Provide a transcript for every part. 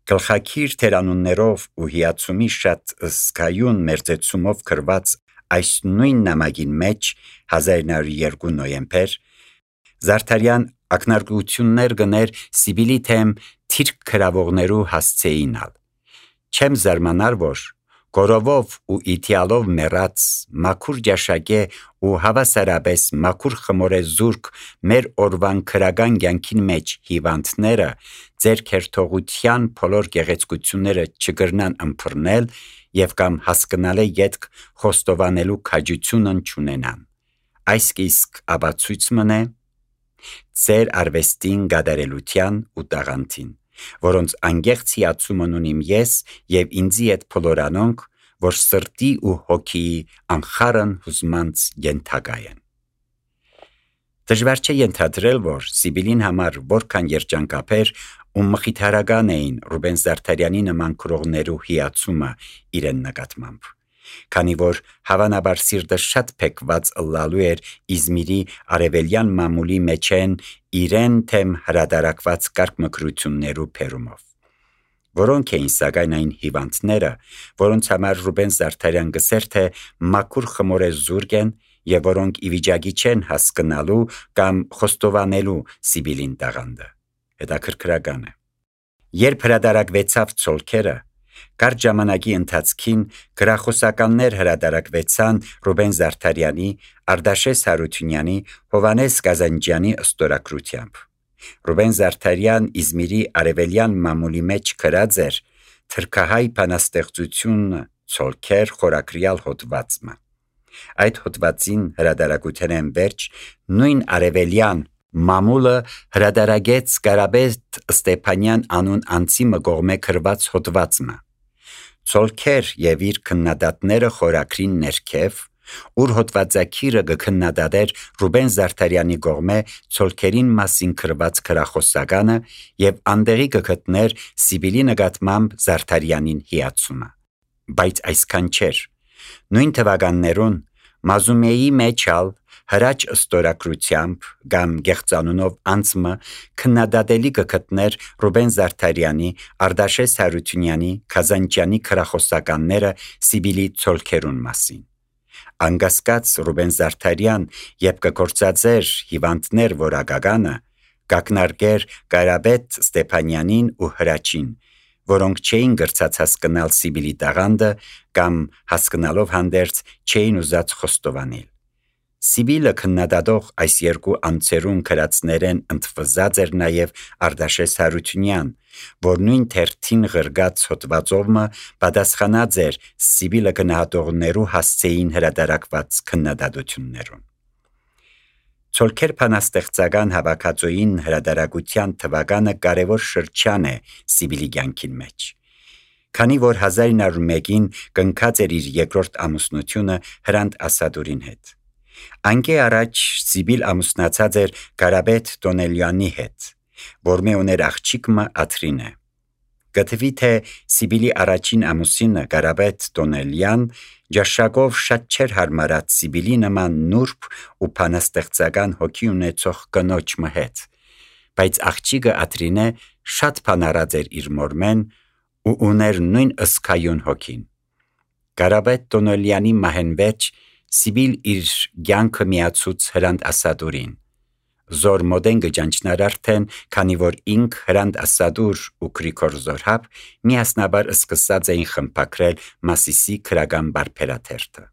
Գլխակիր թերանուններով ու հիացումի շատ զգայուն մերձեցումով գրված այս նույն նամակին մեջ 1902 նոյեմբեր Զարդարյան ակնարկություններ գներ Սիբիլի թեմ թիրք գրավողներու հասցեինալ։ Չեմ զարմանար, որ գորովով ու իթիալով մեռած մաքուր ջաշակե ու հավասարապես մաքուր խմորե զուրկ մեր օրվան քրական կյանքին մեջ հիվանդները ձեր քերթողության բոլոր գեղեցկությունները չգրնան ըմբռնել եւ կամ հասկանալի յետք խոստովանելու քաջությունն չունենան։ Այս իսկ ապացույց մնե ձեր արվեստին գադարելության ու տաղանդին, որոնց անգեղծ հիացումն ունիմ ես եւ ինձի հետ փոլորանոնք, որ սրտի ու հոգիի անխառն հուզմանց ենթակա են։ Դժվար չէ ենթադրել, որ Սիբիլին համար որքան երջանկաբեր ու մխիթարական էին Ռուբեն Զարդարյանի նման գրողներու հիացումը իրեն նկատմամբ, քանի որ հավանաբար սիրտը շատ փեքված ըլլալու էր Իզմիրի արևելյան մամուլի մեջեն իրեն թեմ հրադարակված կարգմկրություններու փերումով, որոնք էին սակայն այն հիվանդները, որոնց համար Ռուբեն Զարդարյան գսեր թե մաքուր խմորե զուրկ են եւ որոնք ի վիճակի չեն հասկանալու կամ խոստովանելու Սիբիլին տաղանդը։ Հետաքրքրական է։ Երբ հրադարակվեցավ Ցոլքերը, կարճ ժամանակի ընթացքին գրախոսականներ հրադարակվեցան Ռուբեն Զարդարյանի, Արտաշես Հարությունյանի, Հովանես Կազանջյանի ստորագրությամբ։ Ռուբեն Զարդարյան Իզմիրի արևելյան մամուլի մեջ գրած էր թրքահայ բանաստեղծությունը Ցոլքեր խորագրյալ հոդվածը։ Այդ հոդվածին հրադարակության վերջ նույն արևելյան մամուլը հրադարագեց Կարապետ Ստեփանյան անուն անձի մգողմե գրված հոդվածը։ Ցոլքեր եւ իր քննադատները խորագրին ներքև, ուր հոդվածակիրը գքննադատեր Ռուբեն Զարդարյանի գողմե Ցոլքերին մասին գրված գրախոսականը եւ անդեղի գտներ Սիբիլի նկատմամբ Զարդարյանին հիացումը։ Բայց այսքան չէր։ Նույն թվականներուն Մազումեի մեջալ հրաչ ստորագրությամբ կամ գեղծանունով անցմը քննադատելի գտներ Ռուբեն Զարդարյանի, Արտաշես Հարությունյանի, Կազանջյանի գրախոսականները Սիբիլի Ցոլքերուն մասին։ Անգասկած Ռուբեն Զարդարյան երբ կգործածեր հիվանդներ որակականը, կակնարկեր Կարապետ Ստեփանյանին ու հրաչին, որոնք չէին գրծած հասկանալ Սիբիլի տաղանդը կամ հասկանալով հանդերձ չէին ուզած խոստովանել։ Սիբիլը քննադատող այս երկու անձերուն գրածներեն ընդվզած էր նաև Արտաշես Հարությունյան, որ նույն թերթին գրգած հոդվածովը պատասխանած էր Սիբիլը գնահատողներու հասցեին հրադարակված քննադատություններուն։ Ցոլքեր բանաստեղծական հավաքածոյին հրադարակության թվականը կարևոր շրջան է Սիբիլի կյանքին մեջ։ Քանի որ 1901-ին կնքած էր իր երկրորդ ամուսնությունը Հրանտ Ասադուրին հետ։ Անկե առաջ Սիբիլ ամուսնացած էր Կարապետ Տոնելյանի հետ, որ մե ուներ աղջիկը Աթրինե։ Գտվի թե Սիբիլի առաջին ամուսինը Կարապետ Տոնելյան ջաշակով շատ չէր հարմարած Սիբիլի նման նուրբ ու բանաստեղծական հոգի ունեցող կնոջ հետ, բայց աղջիկը Աթրինե շատ բանարած էր իր մորմեն ու ուներ նույն ըսկայուն հոգին։ Կարապետ Տոնելյանի մահեն վերջ Սիբիլ իր կյանքը միացուց Հրանտ Ասադուրին։ Զոր մոդեն գճանչնար արդեն, քանի որ ինք Հրանտ Ասադուր ու Գրիգոր Զորհապ միասնաբար սկսած էին խմբակրել Մասիսի քրական բարբերաթերթը։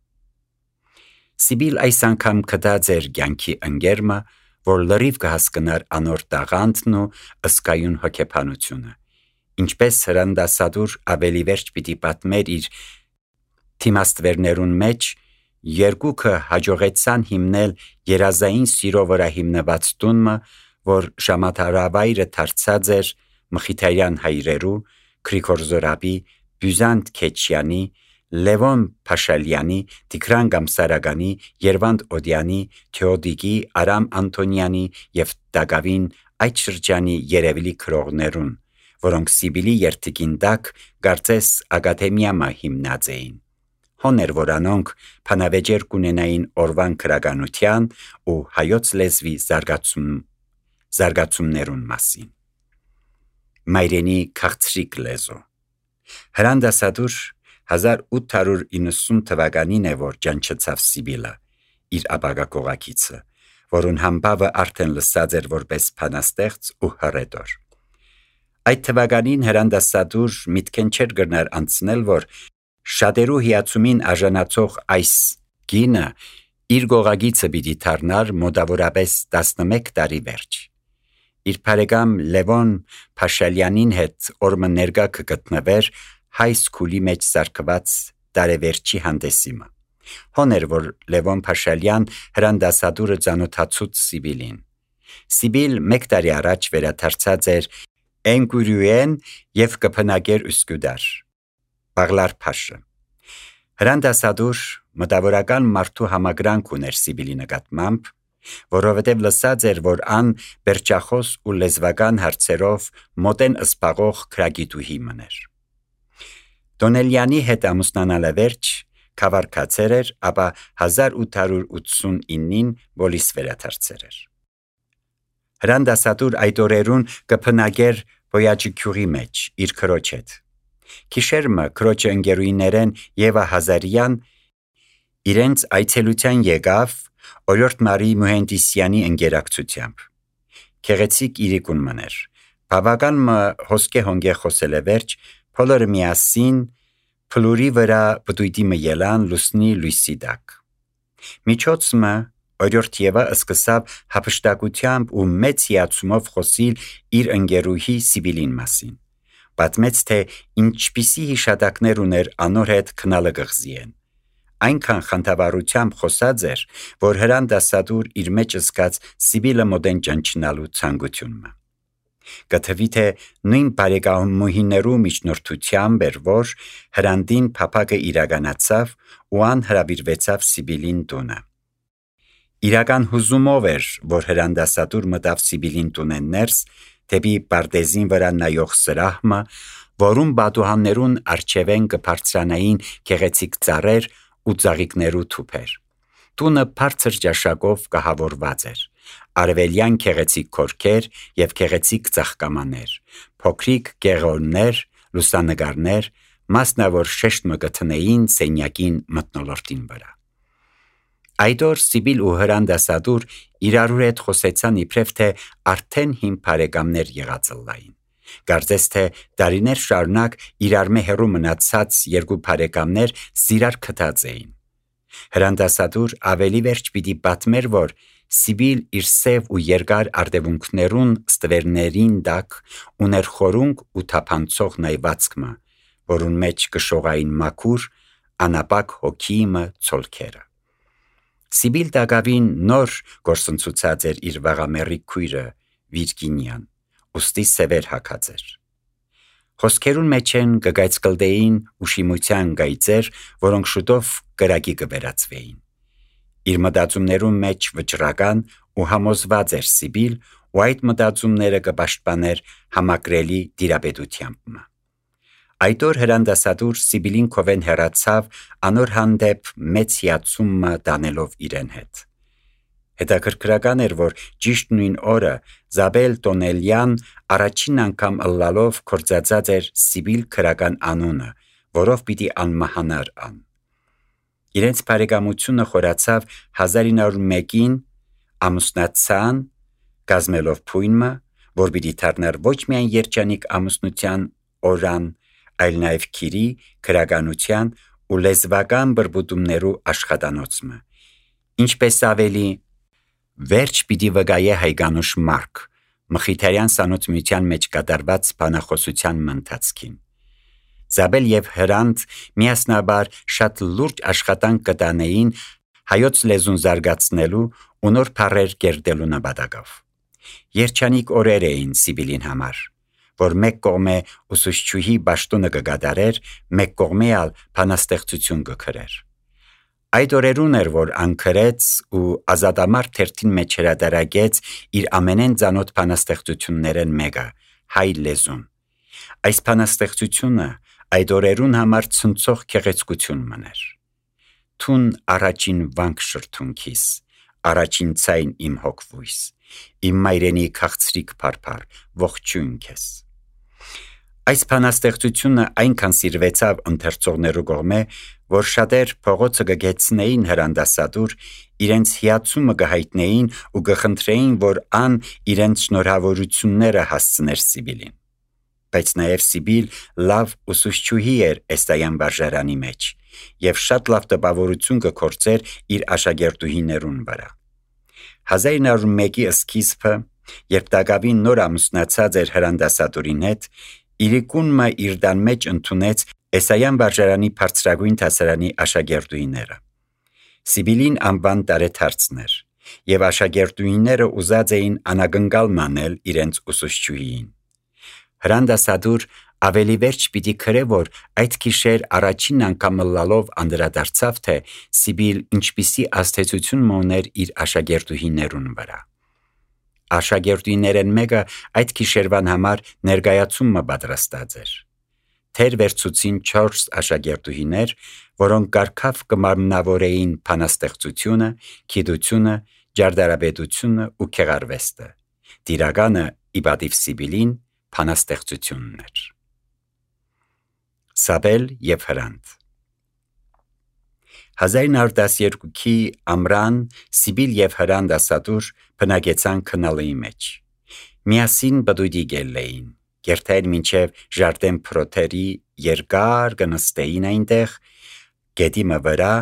Սիբիլ այս անգամ կդած էր կյանքի ընկերմը, որ լրիվ կհասկնար անոր տաղանդն ու ըսկայուն հոգեբանությունը, ինչպես Հրանտ Ասադուր ավելի վերջ պիտի պատմեր իր թիմաստվերներուն մեջ, երկուքը հաջողեցան հիմնել երազային սիրո վրա հիմնված տունը, որ ժամադարավայրը դարձած էր Մխիթարյան հայրերու, Գրիգոր Զորհապի, Բյուզանտ Քեչյանի, Լևոն Փաշալյանի, Տիգրան Գամսարագանի, Երվանդ Օդյանի, Թեոդիկի, Արամ Անտոնյանի եւ Դագավին այդ շրջանի երևելի գրողներուն, որոնք Սիբիլի երթիկին տակ կարծես ակադեմիամա հիմնած էին։ Հոներ որանոնք փանավեճեր կունենային օրվան քրականության ու հայոց լեզվի զարգացումներուն մասին։ մայրենի քաղցրիկ լեզու։ Հրանդասադուր 1890 թվականին է, որ ճանչցավ Սիբիլը, իր ապագա կողակիցը, որուն համբավը արդեն լսած էր որպես փանաստեղծ ու հռետոր։ Այդ թվականին հրանդասադուր միտքեն չէր գնար անցնել, որ շատերու հիացումին արժանացող այս գինը իր գողագիցը պիտի դառնար մոտավորապես 11 տարի վերջ։ Իր բարեկամ Լևոն Փաշալյանին հետ օրը ներկա կգտնվեր հայ սկուլի մեջ սարքված տարեվերջի հանդեսիմը։ Հոներ, որ Լևոն Փաշալյան հրանդասադուրը ծանոթացուց Սիբիլին։ Սիբիլ մեկ տարի առաջ վերադարձած էր Էնկուրյուեն և կփնակեր Üsküdar, Բաղլար Փաշը։ Հրանդասադուր մտավորական մարդու համագրանք ուներ Սիբիլի նկատմամբ, որովհետև լսած էր, որ ան բերճախոս ու լեզվական հարցերով մոտեն ըսպաղող քրագիտուհի մներ։ Դոնելյանի հետ ամուսնանալը վերջ քավարկացեր էր, ապա 1889-ին բոլիս վերադարձեր էր։ Հրանդասադուր այդ օրերուն կփնակեր Բոյաջիկյուղի մեջ իր քրոջ հետ։ Քիշերմը քրոջը ընկերուիներեն Եվա Հազարյան իրենց այցելության եկավ Օրորդ Մարի Մուհենդիսյանի ընկերակցությամբ։ Քեղեցիկ իրիկուն մներ։ Բավական մը հոսկե հոնգե խոսել է վերջ, բոլորը միասին փլուրի վրա բդույտի մը ելան լուսնի լույսի տակ։ Միջոցը Օրորդ Եվա սկսավ հափշտակությամբ ու մեծ հիացումով խոսիլ իր ընկերուհի Սիբիլին մասին։ Պատմեց, թե ինչպիսի հիշատակներ ուներ անոր հետ քնալը գղզիեն։ Այնքան խանդավառությամբ խոսած էր, որ հրանդասադուր իր մեջ զգաց Սիբիլը մոդեն ճանչնալու ցանկությունը։ Կթվի թե նույն բարեկամուհիներու միջնորդությամբ էր, որ հրանդին փափակը իրականացավ ու անհրավիրվեցավ Սիբիլին տունը։ Իրական հուզումով էր, որ հրանդասադուր մտավ Սիբիլին տունեն ներս, դեպի պարտեզին վրա նայող սրահմը, որում բադուհաններուն արջևեն կբարձրանային գեղեցիկ ծառեր ու ծաղիկներու թուփեր։ Տունը բարձր ճաշակով կահավորված էր։ Արևելյան գեղեցիկ քորքեր և գեղեցիկ ծաղկամաներ, փոքրիկ գեղորներ, լուսանկարներ, մասնավոր շեշտ մը գտնեին սենյակին մթնոլորտին վրա։ Այդ օր Սիբիլ ու հրանդասադուր իրարու հետ խոսեցան իբրև թե արդեն հին բարեկամներ եղածլային։ Կարծես թե տարիներ շարունակ իրարմե հեռու մնացած երկու բարեկամներ սիրար քթած էին։ Հրանդասադուր ավելի վերջ պիտի պատմեր, որ Սիբիլ իր սև ու երկար արտևունքներուն ստվերներին տակ ուներ խորունկ ու թափանցող նայվածքմը, որուն մեջ կշողային մաքուր, անապակ հոգիմը ցոլքերը։ Սիբիլ տակավին նոր գործընծուցած էր իր վաղամեռի քույրը Վիրգինիան, ուստի սևեր հագած էր։ Խոսքերուն մեջ են կգայցկլդեին ու շիմության գայծեր, որոնք շուտով կրակի կվերածվեին։ Իր մտածումներուն մեջ վճռական ու համոզված էր Սիբիլ, ու այդ մտածումները կպաշտպաներ համակրելի դիրապետությամբ։ Այդ օր հրանդասադուր Սիբիլին քովեն հեռացավ անոր հանդեպ մեծ հիացումը տանելով իրեն հետ։ Հետաքրքրական էր, որ ճիշտ նույն օրը Զաբել Տոնելյան առաջին անգամ ըլլալով կործածած էր Սիբիլ քրական անունը, որով պիտի անմահանար ան։ Իրենց բարեկամությունը խորացավ 1901-ին ամուսնացան կազմելով փույնը, որ պիտի դառնար ոչ միայն երջանիկ ամուսնության օրան, այլ նաև քիրի, քրականության ու լեզվական բրբուտումներու աշխատանոցը, ինչպես ավելի վերջ պիտի վկայե Հայգանուշ Մարկ Մխիթարյան սանոցմիության մեջ կատարված բանախոսության ընթացքին։ Զաբել և Հրանտ միասնաբար շատ լուրջ աշխատանք կտանեին հայոց լեզուն զարգացնելու ու նոր բառեր կերտելու նպատակով։ Երջանիկ օրեր էին Սիբիլին համար, որ մեկ կողմե ուսուցչուհի պաշտոնը կկատարեր, մեկ կողմե ալ բանաստեղծություն կգրեր։ Այդ օրերուն էր, որ անկրեց ու ազատամարդ թերթին մեջ հրատարակեց իր ամենեն ծանոթ բանաստեղծություններեն մեկը՝ հայ լեզուն։ Այս բանաստեղծությունը այդ օրերուն համար ցնցող գեղեցկություն մներ։ Թուն առաջին վանք շրթունքիս, առաջին ցայն իմ հոգվույս, իմ մայրենի քաղցրիկ փարփար, ողջույն քեզ։ Այս բանաստեղծությունը այնքան սիրվեցավ ընթերցողներու կողմէ, որ շատեր փողոցը կգեցնեին հրանդասադուր, իրենց հիացումը կհայտնեին ու կխնդրեին, որ ան իրենց շնորհավորությունները հասցներ Սիբիլին։ Բայց նաև Սիբիլ լավ ուսուցչուհի էր Էստայան վարժարանի մեջ եւ շատ լավ տպավորություն կգործեր իր աշակերտուհիներուն վրա։ 1901-ի սկիզբը, երբ Դագավին նոր ամուսնացած էր հրանդասատուրին հետ, իրիկունը իր դան մեջ ընդունեց Էսայան վարժարանի բարձրագույն դասարանի աշակերտուհիները։ Սիբիլին անվան տարեթարցն էր, եւ աշակերտուհիները ուզած էին անագնկալ մանել իրենց ուսուցչուհիին։ Հրանդասադուր ավելի վերջ պիտի քրե, որ այդ գիշեր առաջին անգամ լալով անդրադարձավ, թե Սիբիլ ինչպիսի ազդեցություն մոներ իր աշակերտուհիներուն վրա։ Աշակերտուհիներեն մեկը այդ գիշերվան համար ներկայացումը պատրաստած էր։ Թեր վերցուցին 4 աշակերտուհիներ, որոնք կարգավ կմարմնավորեին բանաստեղծությունը, գիտությունը, ջարդարաբեդությունը ու քեղարվեստը։ Տիրականը իբադիվ Սիբիլին բանաստեղծությունն էր։ Սաբել եւ Հրանտ 1912-ի ամռան Սիբիլ եւ Հրանտ ասատուր բնակեցան քնալի մեջ։ Միասին բդույդի գելեին, գերտեր մինչև Ժարդեն Պրոթերի երկար կնստեին այնտեղ, գետիմը վրա,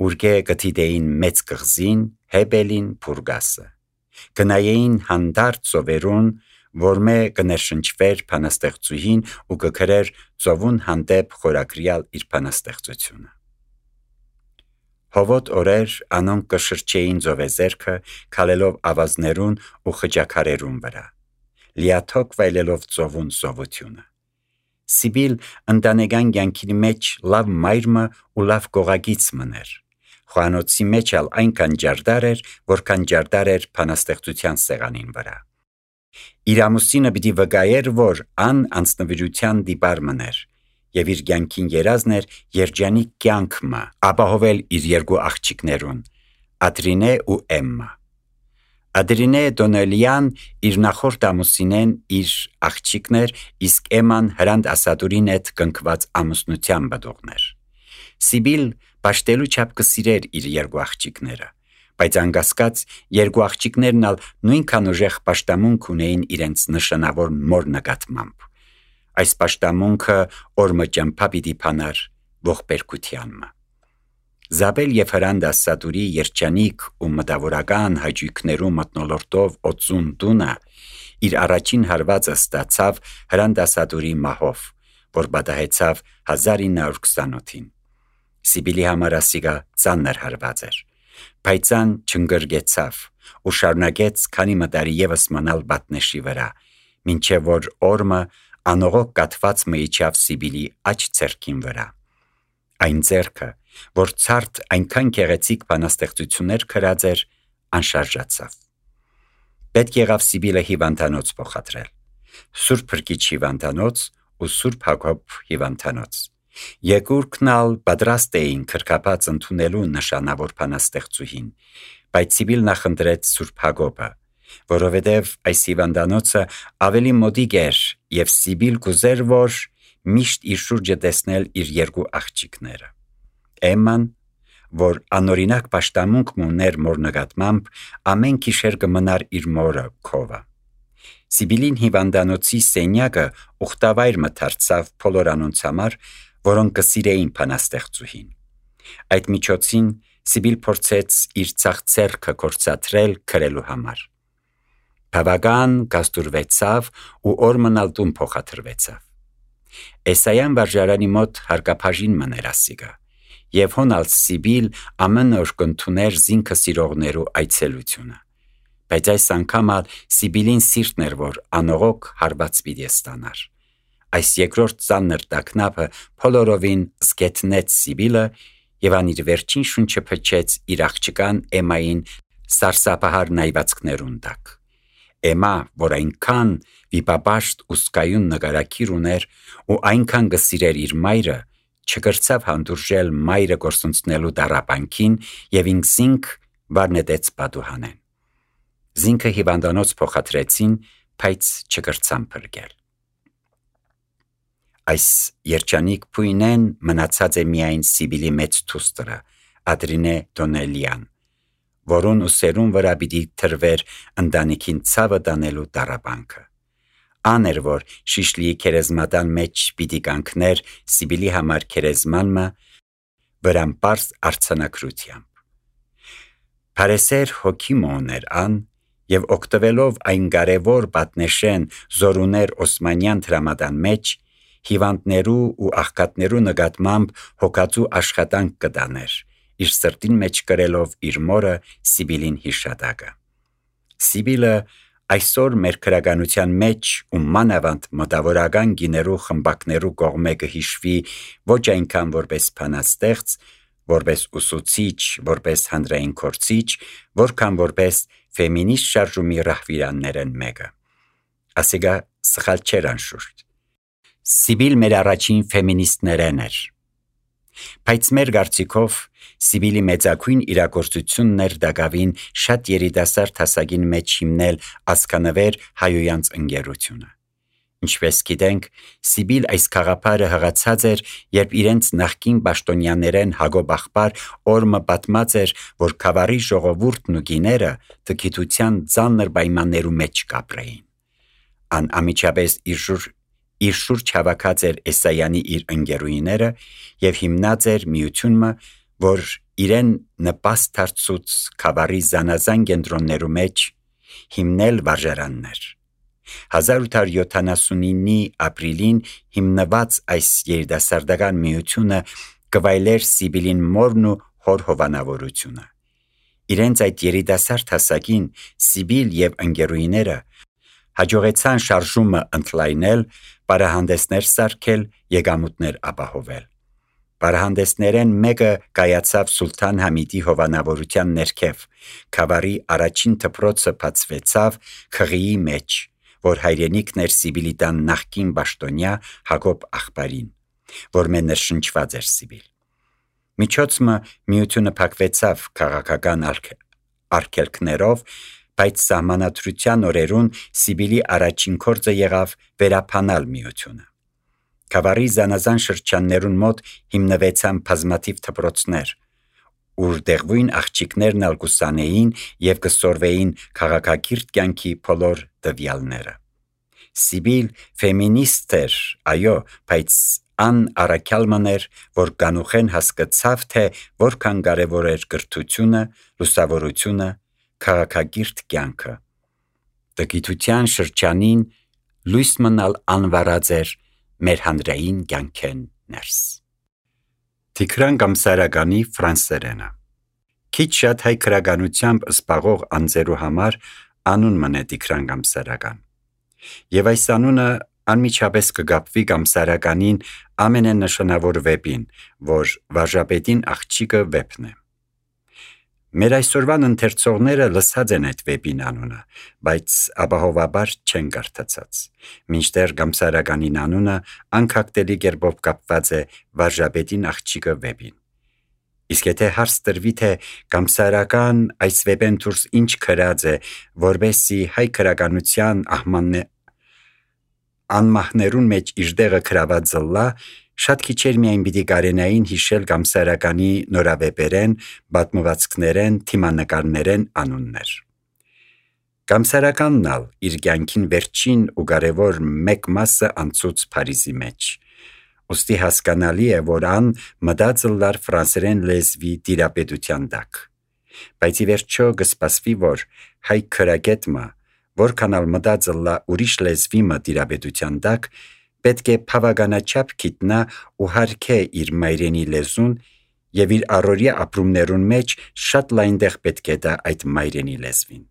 ուրգե գտիդեին մեծ կղզին, Հեբելին, Փուրգասը։ Գնայեին հանդարտ ծովերուն, որմե կներշնչվեր բանաստեղծուհին ու կգրեր ծովուն հանդեպ խորակրյալ իր բանաստեղծությունը։ Հովոտ օրեր անոնք կշրջեին ծովեզերքը, քալելով ավազներուն ու խճակարերուն վրա, լիաթոք վայելելով ծովուն սովությունը։ Սիբիլ ընտանեկան կյանքի մեջ լավ մայրմը ու լավ գողագից մներ։ Խոհանոցի մեջ ալ այնքան ջարդար էր, որքան ջարդար էր բանաստեղծության սեղանին վրա։ Իր ամուսինը պիտի վկայեր, որ ան անձնվիրության դիպար մներ, եւ իր կյանքին երազն էր երջանիկ կյանքը ապահովել իր երկու աղջիկներուն՝ Ադրինե ու Էմմա։ Ադրինե Դոնելյան իր նախորդ ամուսինեն իր աղջիկներ, իսկ Էմման Հրանտ ասատուրին հետ կնքված ամուսնության բդողներ։ Սիբիլ պաշտելու չափ կսիրեր իր երկու աղջիկները, բայց անկասկած երկու աղջիկներն ալ նույնքան ուժեղ պաշտամունք ունեին իրենց նշանավոր մոր նկատմամբ։ Այս պաշտամունքը օրմը ճամփա պիտի փանար ողբերգությանմը։ Զաբել եւ Հրանտ ասատուրի երջանիկ ու մտավորական հաճույքներու մթնոլորտով օծուն տունը իր առաջին հարվածը ստացավ Հրանտ ասատուրի մահով, որ պատահեցավ 1928-ին։ Սիբիլի համար ասիգա ծանր հարված էր, բայց ան չընկրկեցավ ու շարունակեց քանի մտարի եւս մնալ բատնեշի վրա, մինչեւ որ օրմը անողոք կաթված միջավ Սիբիլի աջ ձեռքին վրա։ Այն ձեռքը, որ ցարտ այնքան գեղեցիկ բանաստեղծություններ գրած էր, անշարժացավ։ Պետք եղավ Սիբիլը հիվանդանոց փոխադրել։ Սուրբ Փրկիչ հիվանդանոց ու Սուրբ Հակոբ հիվանդանոց։ Երկուրքն ալ պատրաստ էին քրկապած ընդունելու նշանավոր բանաստեղծուհին, բայց Սիբիլն նախընտրեց Սուրբ Հակոբը, որովհետև այս հիվանդանոցը ավելի մոտիկ էր եւ Սիբիլ կուզեր, որ միշտ իր շուրջը տեսնել իր երկու աղջիկները։ Էմման, որ անօրինակ պաշտամունք ուներ մոր նկատմամբ, ամեն գիշեր կմնար իր մորը քովը։ Սիբիլին հիվանդանոցի սենյակը ուխտավայր մթարցավ բոլոր անոնց համար, որոնք կսիրեին բանաստեղծուհին։ Այդ միջոցին Սիբիլ փորձեց իր ցախցերքը կորցատրել քրելու համար։ Բավական գաստուրվեցավ ու օրմնալ տուն փոխադրվեցավ։ Էսայան վարժարանի մոտ հարկապաժին մներ ասիգա, եւ հոնալ Սիբիլ ամեն օր կընդուներ զինքը սիրողներու այցելությունը։ Բայց այս անգամ Սիբիլին սիրտն էր, որ անողոք հարված պիտի ստանար։ Այս երկրորդ ծանր տագնապը փոլորովին զգետնեց Սիբիլը եւ ան իր վերջին շունչը փչեց իր աղջկան Էմային սարսափահար նայվածքներուն տակ։ Էմա, որ այնքան վիպապաշտ ու սկայուն նկարակիր ուներ ու այնքան գսիրեր իր մայրը, չկրցավ հանդուրժել մայրը գործունցնելու դարապանքին եւ ինքսինք վարնետեց պատուհանեն։ Զինքը հիվանդանոց փոխադրեցին, բայց չկրցան փրկել։ Այս երջանիկ փույնեն մնացած է միայն Սիբիլի մեծ թուստրը, Ադրինե Դոնելյան, որուն ուսերուն վրա պիտի թրվեր ընտանիքին ցավը տանելու տառապանքը։ Աներ որ շիշլիի քերեզմատան մեջ պիտի կանգներ Սիբիլի համար քերեզմանը վրան պարզ արցանակրությամբ։ Փարեսեր հոգի մոներ ան եւ օգտվելով այն կարևոր պատնեշեն զորուներ Օսմանյան դրամատան մեջ հիվանդներու ու աղքատներու նկատմամբ հոգածու աշխատանք կտաներ, իր սրտին մեջ կրելով իր մորը Սիբիլին հիշատակը։ Սիբիլը այսօր մեր քրագանության մեջ ու մանավանդ մտավորական գիներու խմբակներու կողմէ կհիշվի ոչ այնքան որպես բանաստեղծ, որպես ուսուցիչ, որպես հանրային կորցիչ, որքան որպես ֆեմինիստ շարժումի ռահվիրաններեն մեկը։ Ասիկա սխալ չէր անշուշտ։ Սիբիլ մեր առաջին ֆեմինիստներեն էր։ Բայց մեր կարծիքով Սիբիլի մեծագույն իրագործությունն էր դակավին շատ երիտասարդ հասակին մեջ հիմնել ազգանվեր հայոյանց ընկերությունը։ Ինչպես գիտենք, Սիբիլ այս խաղապարը հղացած էր, երբ իրենց նախկին պաշտոնյաներեն Հակոբ աղբար օրմը պատմած էր, որ Քավառի ժողովուրդն ու գիները տգիտության ծանր պայմաններու մեջ կապրեին։ Ան ամիջապես իր շուրջ հավաքած էր Էսայանի իր ընկերուիները եւ հիմնած էր միությունը, որ իրեն նպաստ դարձուց Քավառի զանազան կենտրոններու մեջ հիմնել վարժարաններ։ 1879-ի ապրիլին հիմնված այս երիտասարդական միությունը կվայելեր Սիբիլին մորն ու հոր հովանավորությունը։ Իրենց այդ երիտասարդ հասակին Սիբիլ եւ ընկերուիները հաջողեցան շարժումը ընդլայնել, պարահանդեսներ սարքել, եկամուտներ ապահովել։ Պարահանդեսներեն մեկը կայացավ Սուլթան Համիդի հովանավորության ներքև, Քավառի առաջին դպրոցը բացվեցավ Խղիի մեջ, որ հայրենիքն էր Սիբիլի տան նախկին պաշտոնյա Հակոբ աղբարին, որ մեն ներշնչված էր Սիբիլ։ Միջոցը միությունը փակվեցավ քաղաքական արգելքներով, բայց սահմանադրության օրերուն Սիբիլի առաջին գործը եղավ վերապանալ միությունը։ Քավառի զանազան շրջաններուն մոտ հիմնվեցան բազմաթիվ դպրոցներ, ուր դեղույն աղջիկներն ալ կուսանեին եւ կսորվեին քաղաքակիրթ կյանքի բոլոր տվյալները։ Սիբիլ ֆեմինիստ էր, այո, բայց ան առաքյալման էր, որ կանուխեն հասկացավ, թե որքան կարևոր էր կրթությունը, լուսավորությունը, քաղաքակիրթ կյանքը։ Տգիտության շրջանին լույս մնալ անվարած էր մեր հանրային կյանքեն ներս։ Տիգրան Գամսարականի ֆրանսերենը։ Քիչ շատ հայ քրագանությամբ զբաղող անձերու համար անուն մնե Տիգրան Գամսարական։ Եվ այս անունը անմիջապես կգապվի Գամսարականին ամենանշանավոր վեպին, որ Վարժապետին աղջիկը վեպն է։ Մեր այսօրվան ընթերցողները լսած են այդ վեպին անունը, բայց ապահովաբար չեն կարդացած, մինչդեռ Գամսարականին անունը անկախտելի կերպով կապված է Վարժապետին աղջիկը վեպին։ Իսկ եթե հարց տրվի, թե Գամսարական այս վեպեն դուրս ինչ գրած է, որբեսի հայ քրագանության անմահներուն մեջ իր դեղը գրաված զլա, շատ քիչեր միայն պիտի կարենային հիշել Գամսարականի նորավեպերեն, պատմվածքներեն, թիմանկարներեն անուններ։ Գամսարականն ալ իր կյանքին վերջին ու կարևոր մեկ մասը անցուց Փարիզի մեջ։ Ոստի հասկանալի է, որ ան մտածելար ֆրանսերեն լեզվի տիրապետության տակ։ Բայց ի վերջո կսպասվի, որ հայ քրագետը, որքան ալ մտածելա ուրիշ լեզվի տիրապետության տակ, պետք է բավականաչափ գիտնա ու հարգե իր մայրենի լեզուն եւ իր առօրյա ապրումներուն մեջ շատ լայն տեղ պետք է տա այդ մայրենի լեզվին։